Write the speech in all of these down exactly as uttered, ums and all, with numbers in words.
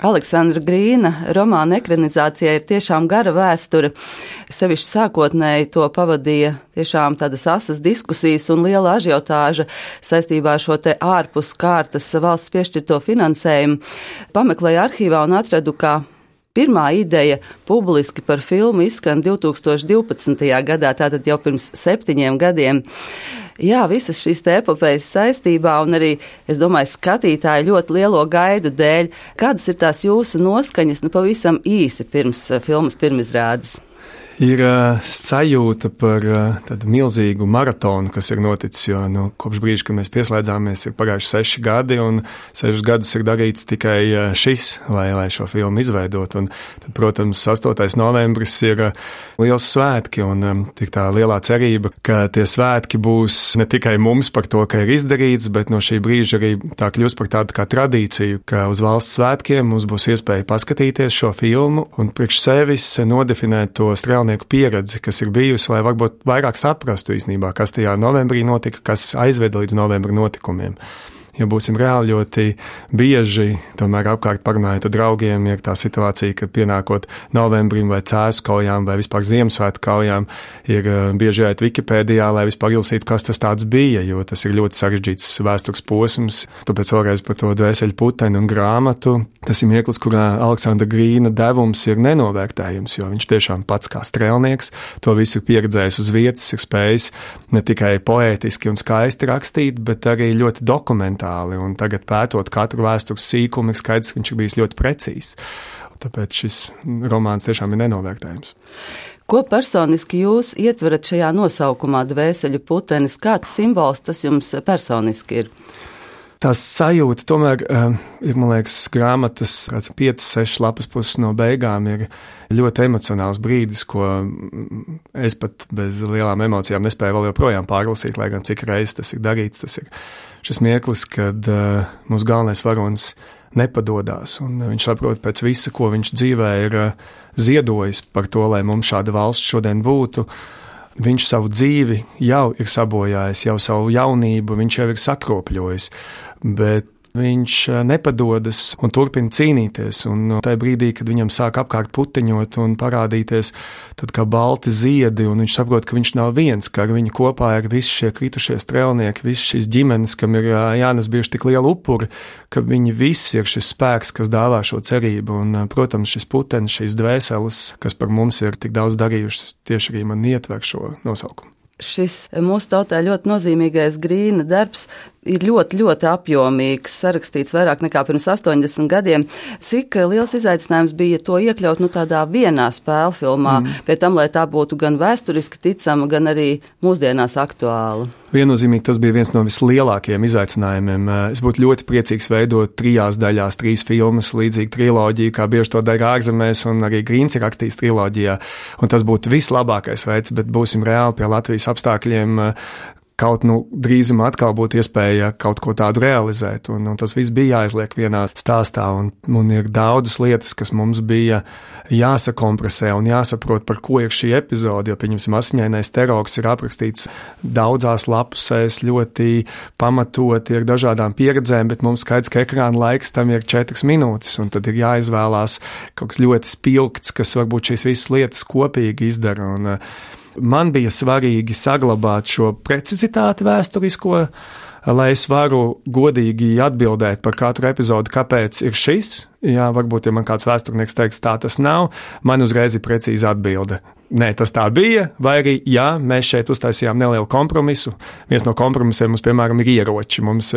Aleksandra Grīna romāna ekranizācijai ir tiešām gara vēsture. Sevišķi sākotnēji to pavadīja tiešām tādas asas diskusijas un liela ažiotāža saistībā ar šo te ārpus kārtas valsts piešķirto finansējumu. Pameklēju arhīvā un atradu, kā pirmā ideja publiski par filmu izskan divi tūkstoši divpadsmitajā gadā, tātad jau pirms septiņiem gadiem. Jā, visas šīs te epopejas saistībā un arī, es domāju, skatītāju ļoti lielo gaidu dēļ. Kādas ir tās jūsu noskaņas, nu pavisam īsi pirms filmas pirmizrādes? Ir uh, sajūta par uh, tādu milzīgu maratonu, kas ir noticis, jo nu, kopš brīža, kad mēs pieslēdzāmies, ir pagājuši seši gadi, un sešus gadus ir darīts tikai uh, šis, lai, lai šo filmu izveidot. Un tad, protams, astotais novembris ir uh, liels svētki, un um, tik tā lielā cerība, ka tie svētki būs ne tikai mums par to, ka ir izdarīts, bet no šī brīža arī tā kļūst par tādu kā tradīciju, ka uz valsts svētkiem mums būs iespēja paskatīties šo filmu un priekš sevis nodefinēt to strēlnieku pieredzi, kas ir bijusi, lai varbūt vairāk saprastu īstenībā, kas tajā novembrī notika, kas aizveda līdz novembra notikumiem. Ja būsim reāli ļoti bieži, tomēr apkārt parunājot ar draugiem, ir tā situācija, ka pienākot novembrim vai cēsu kaujām vai vispār Ziemassvētku kaujām, ir bieži jāiet Wikipēdijā, lai vispār ilsītu, kas tas tāds bija, jo tas ir ļoti sarežģīts vēstures posms. Tāpēc vēlreiz par to Dvēseli puteni un grāmatu. Tas ir mirklis, kurā Aleksandra Grīna devums ir nenovērtējums, jo viņš tiešām pats kā strēlnieks to visu pieredzējis uz vietas, ir spējis ne tikai poētiski un skaisti rakstīt, bet arī ļoti dokumentāli. Un tagad pētot katru vēstures sīkumu, ir skaidrs, ka viņš ir bijis ļoti precīzs. Tāpēc šis romāns tiešām ir nenovērtējams. Ko personiski jūs ietverat šajā nosaukumā Dvēseļu putenis? Kāds simbols tas jums personiski ir? Tās sajūta tomēr uh, ir, man liekas, grāmatas kāds piecas, sešas lapas puses no beigām ir ļoti emocionāls brīdis, ko es pat bez lielām emocijām nespēju vēl joprojām pārlasīt, lai gan cik reizes tas ir darīts. Tas ir šis mirklis, kad uh, mūsu galvenais varonis nepadodās, un viņš saprot pēc visa, ko viņš dzīvē ir uh, ziedojis par to, lai mums šāda valsts šodien būtu. Viņš savu dzīvi jau ir sabojājis, jau savu jaunību viņš jau ir sakropļojis, bet viņš nepadodas un turpina cīnīties, un tajā brīdī, kad viņam sāk apkārt puteņot un parādīties tad kā balti ziedi, un viņš saprot, ka viņš nav viens, ka ar viņu kopā ir visi šie kritušie strēlnieki, visi šīs ģimenes, kam ir jānes bijuši tik liela upuri, ka viņi visi ir šis spēks, kas dāvā šo cerību, un, protams, šis putenis, šīs dvēseles, kas par mums ir tik daudz darījušas, tieši arī man ietver šo nosaukumu. Šis mūsu tautā ļoti nozīmīgais Grīna darbs ir ļoti, ļoti apjomīgs, sarakstīts vairāk nekā pirms astoņdesmit gadiem. Cik liels izaicinājums bija to iekļaut nu, tādā vienā spēlfilmā, mm. pie tam, lai tā būtu gan vēsturiski ticama, gan arī mūsdienās aktuāla? Viennozīmīgi tas bija viens no vislielākajiem izaicinājumiem. Es būtu ļoti priecīgs veidot trijās daļās, trīs filmas, līdzīgi triloģiju, kā bieži to dara ārzemēs, un arī Grīns ir rakstījis triloģijā. Un tas būtu vislabākais veids, bet būsim reāli pie Latvijas apstākļiem. Kaut nu drīzumā atkal būtu iespēja kaut ko tādu realizēt, un, un tas viss bija jāizliek vienā stāstā, un, un ir daudzas lietas, kas mums bija jāsakompresē un jāsaprot, par ko ir šī epizode, jo, pieņemsim, Asiņainais terors ir aprakstīts daudzās lapusēs, ļoti pamatoti ar dažādām pieredzēm, bet mums skaidrs, ka ekrāna laiks tam ir četras minūtes, un tad ir jāizvēlās kaut kas ļoti spilgts, kas varbūt šīs visas lietas kopīgi izdara, un man bija svarīgi saglabāt šo precizitāti vēsturisko, lai es varu godīgi atbildēt par katru epizodi, kāpēc ir šis. Jā, varbūt, ja man kāds vēsturnieks teiks, tā tas nav, man uzreiz ir precīza atbilde. Nē, tas tā bija, vai arī, jā, mēs šeit uztaisījām nelielu kompromisu. Viens no kompromisiem mums, piemēram, ir ieroči. Mums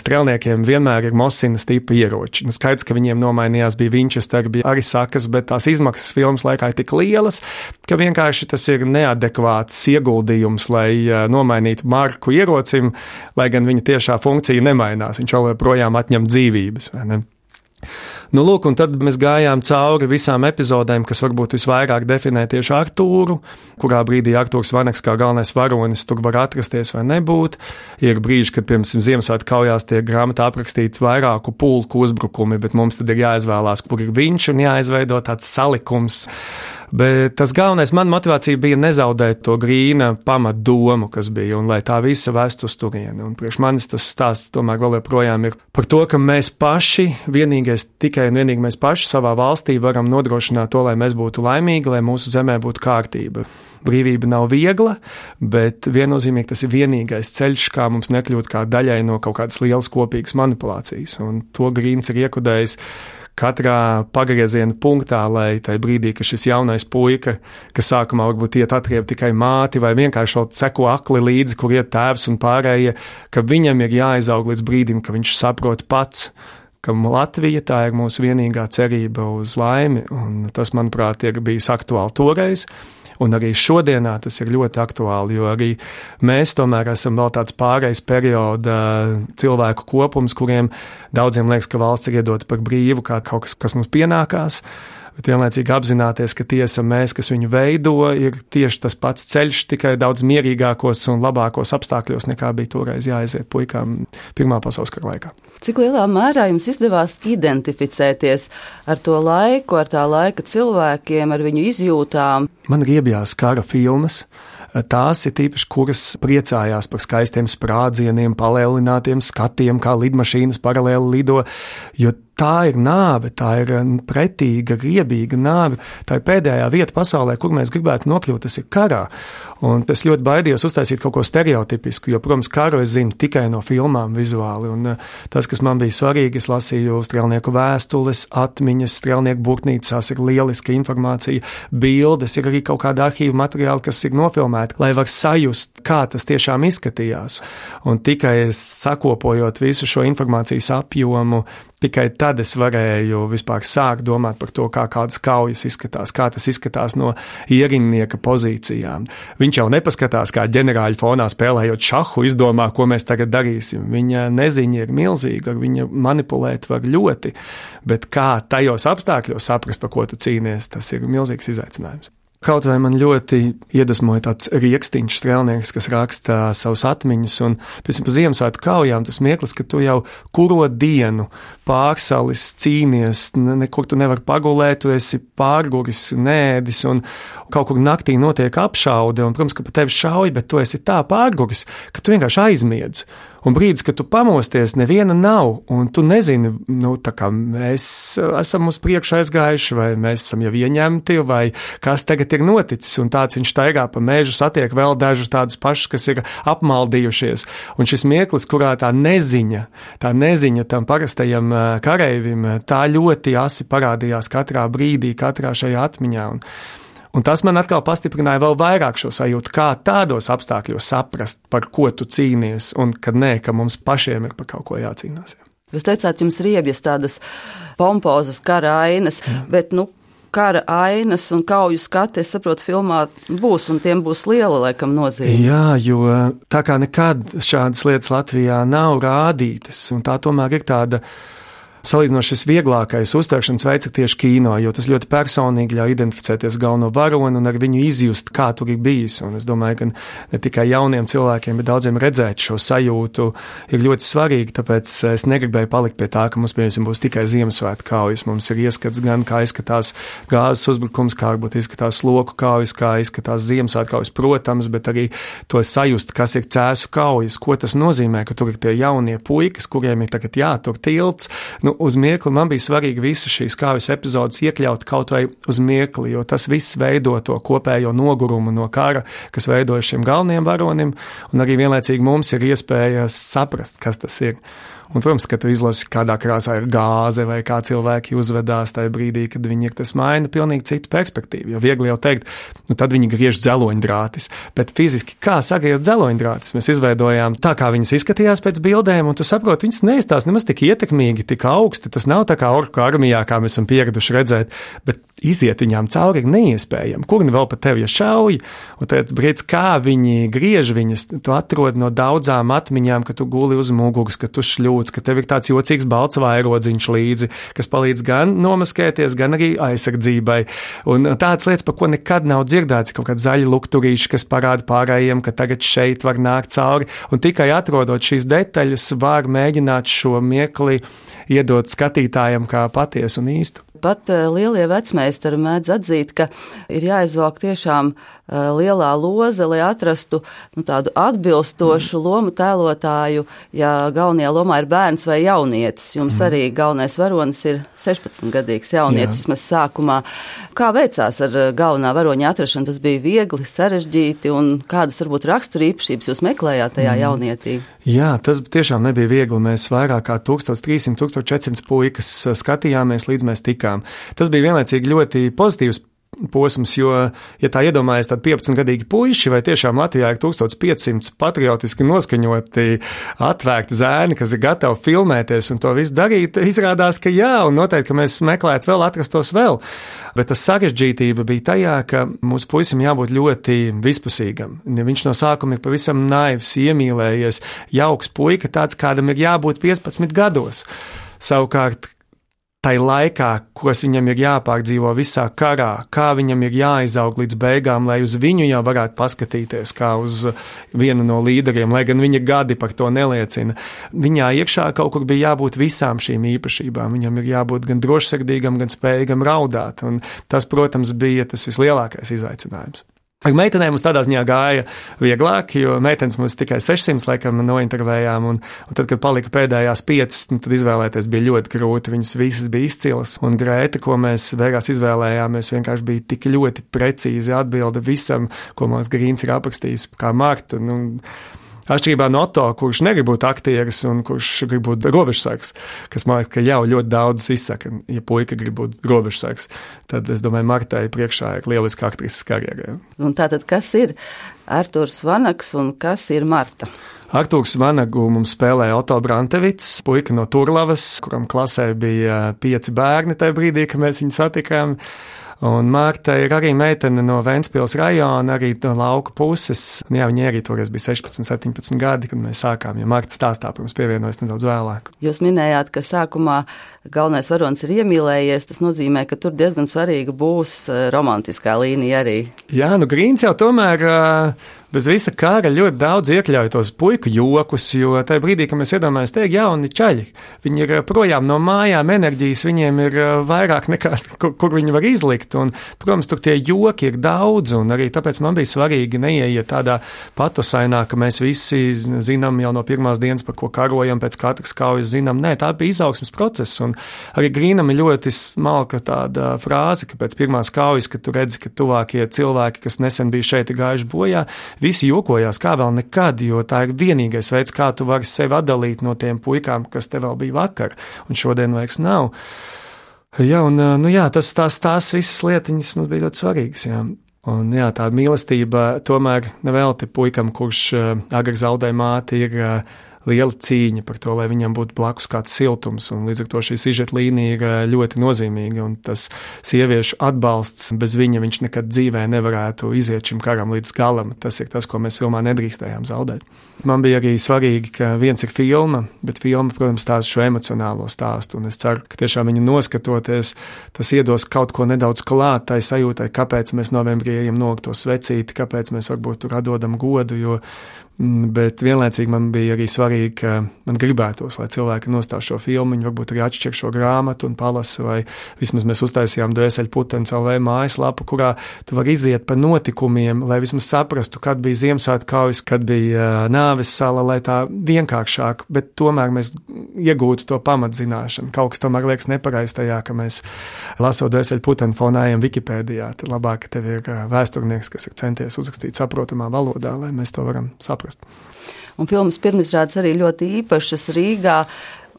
strēlniekiem vienmēr ir Mosinas tipa ieroči. Nu, skaidrs, ka viņiem nomainījās bija Winchester, bija arī sakas, bet tās izmaksas filmas laikā ir tik lielas, ka vienkārši tas ir neadekvāts ieguldījums, lai nomainītu marku ierocim, lai gan viņa tiešā funkcija nemainās. Viņš vēl projām atņem dzīvības, vai ne? Nu, lūk, un tad mēs gājām cauri visām epizodēm, kas varbūt visvairāk definē tieši Artūru, kurā brīdī Artūrs Vaneks kā galvenais varonis tur var atrasties vai nebūt. Ir brīži, kad, piemēram, Ziemassvētku kaujās tiek grāmatā aprakstīti vairāku pulku uzbrukumi, bet mums tad ir jāizvēlās, kur ir viņš un jāizveido tāds salikums. Bet tas galvenais, man motivācija bija nezaudēt to Grīna pamatdomu, kas bija, un lai tā visa vest uz turieni. Un priekš manis tas stāsts tomēr vēl joprojām ir par to, ka mēs paši, vienīgais, tikai un vienīgi mēs paši savā valstī varam nodrošināt to, lai mēs būtu laimīgi, lai mūsu zemē būtu kārtība. Brīvība nav viegla, bet viennozīmīgi tas ir vienīgais ceļš, kā mums nekļūt kā daļai no kaut kādas lielas kopīgas manipulācijas. Un to Grīns ir iekudējis katrā pagrieziena punktā, lai tajā brīdī, ka šis jaunais puika, kas sākumā varbūt iet atrieb tikai māti vai vienkārši seko akli līdzi, kur iet tēvs un pārējie, ka viņam ir jāizaug līdz brīdim, ka viņš saprot pats, ka Latvija tā ir mūsu vienīgā cerība uz laimi, un tas, manuprāt, ir bijis aktuāli toreiz. Un arī šodienā tas ir ļoti aktuāli, jo arī mēs tomēr esam vēl tāds pārejas perioda cilvēku kopums, kuriem daudziem liekas, ka valsts ir iedota par brīvu, kā kaut kas, kas mums pienākās. Bet vienlaicīgi apzināties, ka tie esam mēs, kas viņu veido, ir tieši tas pats ceļš, tikai daudz mierīgākos un labākos apstākļos, nekā bija toreiz jāaiziet puikām Pirmā pasaules kara laikā. Cik lielā mērā jums izdevās identificēties ar to laiku, ar tā laika cilvēkiem, ar viņu izjūtām? Man riebjās kara filmas. Tās ir tīpaši, kuras priecājās par skaistiem sprādzieniem, palēlinātiem skatiem, kā lidmašīnas paralēli lido, jo tā ir nāve, tā ir pretīga, riebīga nāve. Tā ir pēdējā vieta pasaulē, kur mēs gribētu nokļūt, tas ir karā. Un es ļoti baidījos uztaisīt kaut ko stereotipisku, jo, protams, karu es zinu tikai no filmām vizuāli. Un tas, kas man bija svarīgi, es lasīju strēlnieku vēstules, atmiņas, strēlnieku burtnīcās ir lieliska informācija, bildes, ir arī kaut kāda arhīva materiāla, kas ir nofilmēta, lai var sajust, kā tas tiešām izskatījās. Un tikai sakopojot visu šo informācijas apjomu, tikai tad es varēju vispār sākt domāt par to, kā kādas kaujas izskatās, kā tas izskatās no ierindnieka pozīcijām. Viņš jau nepaskatās, kā ģenerāļi fonā spēlējot šahu, izdomā, ko mēs tagad darīsim. Viņa neziņa ir milzīga, viņa manipulēt var ļoti, bet kā tajos apstākļos saprast, par ko tu cīnies, tas ir milzīgs izaicinājums. Kaut vai man ļoti iedvesmoja tāds Rieksniņš strēlnieks, kas raksta savus atmiņas, un pēc tam Ziemassvētku kaujām tas mirklis, ka tu jau kuro dienu pārsalis, cīnies, nekur tu nevar pagulēt, tu esi pārguris, nēdis, un kaut kur naktī notiek apšaude, un, protams, ka pa tevi šauj, bet tu esi tā pārguris, ka tu vienkārši aizmiedz. Un brīdis, kad tu pamosties, neviena nav, un tu nezini, nu, tā kā mēs esam uz priekšu aizgājuši, vai mēs esam jau ieņemti, vai kas tagad ir noticis, un tāds viņš staigā pa mežu, satiek vēl dažus tādus pašus, kas ir apmaldījušies. Un šis mirklis, kurā tā neziņa, tā neziņa tam parastajam kareivim, tā ļoti asi parādījās katrā brīdī, katrā šajā atmiņā. Un Un tas man atkal pastiprināja vēl vairāk šo sajūtu, kā tādos apstākļos saprast, par ko tu cīnies, un kad nē, ka mums pašiem ir par kaut ko jācīnās. Jūs teicāt, jums riebjas tādas pompozas kara ainas, Jā. bet, nu, kara ainas un kauju skati, es saprotu, filmā būs, un tiem būs liela, laikam, nozīme. Jā, jo tā kā nekad šādas lietas Latvijā nav rādītas, un tā tomēr ir tāda salīdzinoši šis vieglākais uztveršanas veids ir tieši kino, jo tas ļoti personīgi ļauj identificēties galveno varoni un ar viņu izjust, kā tur ir bijis. Un es domāju, ka ne tikai jauniem cilvēkiem, bet daudziem redzēt šo sajūtu ir ļoti svarīgi, tāpēc es negribēju palikt pie tā, ka mums, piemēram, būs tikai Ziemassvētku kaujas. Mums ir ieskats gan, kā izskatās gāzes uzbrukums, kā varbūt izskatās loku kaujas, kā izskatās Ziemassvētku kaujas, protams, bet arī to sajust, kas ir Cēsu kaujas, ko tas nozīmē, ka tur ir tie jaunie puikas, kuriem ir tagad jātur tilts. Nu, uz mirkli man bija svarīgi visas šīs kaujas epizodes iekļaut kaut vai uz mirkli, jo tas viss veido to kopējo nogurumu no kara, kas veidoja šiem galvenajiem varonim, un arī vienlaicīgi mums ir iespēja saprast, kas tas ir. Un, protams, ka tu izlasi, kādā krāsā ir gāze vai kā cilvēki uzvedās tajā brīdī, kad viņi ir, tas maina pilnīgi citu perspektīvu. Jo viegli jau teikt, nu tad viņi griež dzeloņdrātis, bet fiziski kā sagriezt dzeloņdrātis? Mēs izveidojām tā, kā viņas izskatījās pēc bildēm, un tu saproti, viņas neizstās nemaz tik ietekmīgi, tik augsti. Tas nav tā kā orku armijā, kā mēs esam pieraduši redzēt, bet iziet viņām cauri ir neiespējami. Kur nu vēl pat tevi ja šauj? Un tad brīdis, kā viņi griež viņas, tu atrod no daudzām atmiņām, ka tu guli uz muguras, ka tu šļūts, ka tev ir tāds jocīgs balts vairodziņš līdzi, kas palīdz gan nomaskēties, gan arī aizsardzībai. Un tāds lietas, par ko nekad nav dzirdēts, kaut kādi zaļi lukturīši, kas parāda pārējiem, ka tagad šeit var nākt cauri. Un tikai atrodot šīs detaļas, var mēģināt šo mirkli iedot skatītājiem kā patiesu un īstu. Pat lielie vecmeistari mēdz atzīt, ka ir jāizvelk tiešām lielā loze, lai atrastu nu, tādu atbilstošu lomu tēlotāju, ja galvenajā lomā ir bērns vai jaunietis. Jums arī galvenais varonis ir sešpadsmitgadīgs jaunietis, vismaz sākumā. Kā veicās ar galvenā varoņa atrašanu? Tas bija viegli, sarežģīti, un kādas varbūt rakstura īpašības jūs meklējāt tajā jaunietī? Jā, tas tiešām nebija viegli. Mēs vairāk kā tūkstoš trīssimti, tūkstoš četrsimti puikas skatījāmies, līdz mēs tikām. Tas bija vienlaicīgi ļoti pozitīvs posms, jo, ja tā iedomājas tad piecpadsmitgadīgi puiši, vai tiešām Latvijā ir tūkstoš piecsimti patriotiski noskaņoti, atvērti zēni, kas ir gatavi filmēties un to visu darīt, izrādās, ka jā, un noteikti, ka mēs meklētu vēl, atrastos vēl. Bet tas sarežģītība bija tajā, ka mūsu puisim jābūt ļoti vispusīgam. Viņš no sākuma ir pavisam naivs, iemīlējies, jauks puika, tāds, kādam ir jābūt piecpadsmit gados. Savukārt, tai laikā, kas viņam ir jāpārdzīvo visā karā, kā viņam ir jāizaug līdz beigām, lai uz viņu jau varētu paskatīties kā uz vienu no līderiem, lai gan viņa gadi par to neliecina. Viņā iekšā kaut kur bija jābūt visām šīm īpašībām. Viņam ir jābūt gan drošsirdīgam, gan spējīgam raudāt, un tas, protams, bija tas vislielākais izaicinājums. Ar meitenēm mums tādā ziņā gāja vieglāk, jo meitenes mums tikai sešsimt laikam nointervējām, un, un tad, kad palika pēdējās piecas, nu, tad izvēlēties bija ļoti grūti. Viņas visas bija izcilas, un Grēta, ko mēs beigās izvēlējāmies, vienkārši bija tik ļoti precīzi atbilde visam, ko mums Grīns ir aprakstījis kā Martu. Nu, Atšķirībā no Otto, kurš negrib būt aktieris un kurš grib būt robežsargs, kas man liekas, ka jau ļoti daudz izsaka, ja puika grib būt robežsargs, tad es domāju, Martai priekšā ir lieliska aktrises karjerā. Un tātad, kas ir Artūrs Vanags un kas ir Marta? Artūrs Vanagu mums spēlēja Otto Brantevits, puika no Turlavas, kuram klasē bija pieci bērni tajā brīdī, kad mēs viņu satikām. Un Marta ir arī meitene no Ventspils rajona, arī no lauku puses. Un jā, viņa arī toreiz bija sešpadsmit, septiņpadsmit gadi, kad mēs sākām, jo Marta stāstā pirms pievienojas nedaudz vēlāk. Jūs minējāt, ka sākumā galvenais varonis ir iemīlējies, tas nozīmē, ka tur diezgan svarīga būs romantiskā līnija arī. Jā, nu Grīns jau tomēr bez visa kara ļoti daudz iekļauj tos puiku jokus, jo tajā brīdī, kad mēs iedomājamies, te ir jauni čaļi, viņi ir projām no mājām, enerģijas viņiem ir vairāk nekā, kur, kur viņi var izlikt, un, protams, tur tie joki ir daudz, un arī tāpēc man bija svarīgi neieiet tādā patosainā, ka mēs visi zinām jau no pirmās dienas, par ko karojam, pēc katras kaujas zinām. Nē, tā bija izaugsmes process, un arī Grīnam ir ļoti smalka tāda frāze, ka pēc pirmās kaujas, kad tu redzi, ka tuvākie cilvēki, kas nesen bija šeit gājuši bojā, visi jokojās kā vēl nekad, jo tā ir vienīgais veids, kā tu vari sevi atdalīt no tiem puikām, kas te vēl bija vakar, un šodien vairs nav. Jā, un, nu jā, tas, tās, tās visas lietiņas mums bija ļoti svarīgas, jā. Un jā, tā mīlestība tomēr nevelti puikam, kurš agri zaudēja māti, ir liela cīņa par to, lai viņam būtu blakus kāds siltums, un līdz ar to šī sižeta līnija ir ļoti nozīmīga, un tas sieviešu atbalsts, bez viņa viņš nekad dzīvē nevarētu iziet šim karam līdz galam. Tas ir tas, ko mēs filmā nedrīkstējām zaudēt. Man bija arī svarīgi, ka viens ir filma, bet filma, protams, stāsta šo emocionālo stāstu, un es ceru, ka tiešām viņu noskatoties, tas iedos kaut ko nedaudz klāt tai sajūtai, kāpēc mēs novembrī ejam nolikt to svecīti, kāpēc mēs varbūt tur atdodam godu, jo bet vienlaicīgi man bija arī svarīgi, ka man gribētos, lai cilvēki nostāv šo filmu, viņi varbūt arī atšķir šo grāmatu un palasa, vai vismaz mēs uztaisījām Dvēseļu putenis L V mājaslapu, kurā tu vari iziet pa notikumiem, lai vismaz saprastu, kad bija Ziemassvētku kaujas, kad bija Nāves sala, lai tā vienkāršāk, bet tomēr mēs iegūtu to pamatzināšanu. Kaut kas tomēr liekas nepareiz tajā, ka mēs lasot Dvēseļu puteni fonējam Wikipēdijā, tad labāk, ka tev ir vēsturnieks, kas ir centies uzrakstīt saprotamā valodā, lai mēs to varam saprast. Un filmas pirmizrādes arī ļoti īpašas Rīgā.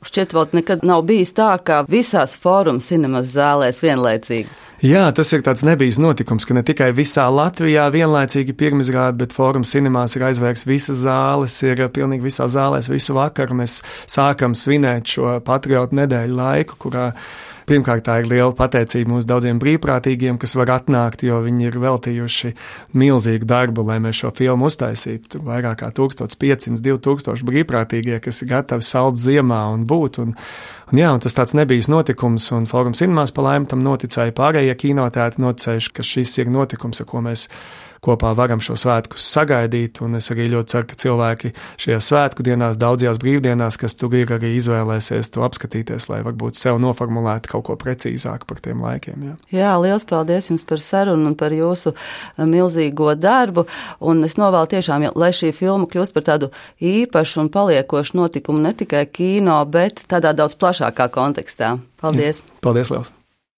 Šķiet, vēl nekad nav bijis tā, ka visās Fórum cinemas zālēs vienlaicīgi. Jā, tas ir tāds nebijis notikums, ka ne tikai visā Latvijā vienlaicīgi pirmizrāde, bet Fórum cinemās ir aizvērts visas zāles, ir pilnīgi visās zālēs visu vakaru. Mēs sākam svinēt šo patriotu nedēļu laiku, kurā pirmkārt tā ir liela pateicība mūsu daudziem brīvprātīgiem, kas var atnākt, jo viņi ir veltījuši milzīgu darbu, lai mēs šo filmu uztaisītu. Tur vairāk kā tūkstoš piecsimt, divi tūkstoši brīvprātīgie, kas ir gatavi salt ziemā un būt. Un, un jā, un tas tāds nebijis notikums, un Fórum cinemās pa laimi tam noticēja pārējie kinoteātri, noticējuši, ka šis ir notikums, ar ko mēs kopā varam šo svētkus sagaidīt, un es arī ļoti ceru, ka cilvēki šajās svētku dienās, daudzajās brīvdienās, kas tur ir, arī izvēlēsies to apskatīties, lai varbūt sev noformulētu kaut ko precīzāk par tiem laikiem. Jā, jā liels paldies jums par sarunu un par jūsu milzīgo darbu, un es novēlu tiešām, lai šī filma kļūst par tādu īpašu un paliekošu notikumu ne tikai kino, bet tādā daudz plašākā kontekstā. Paldies! Jā, paldies liels!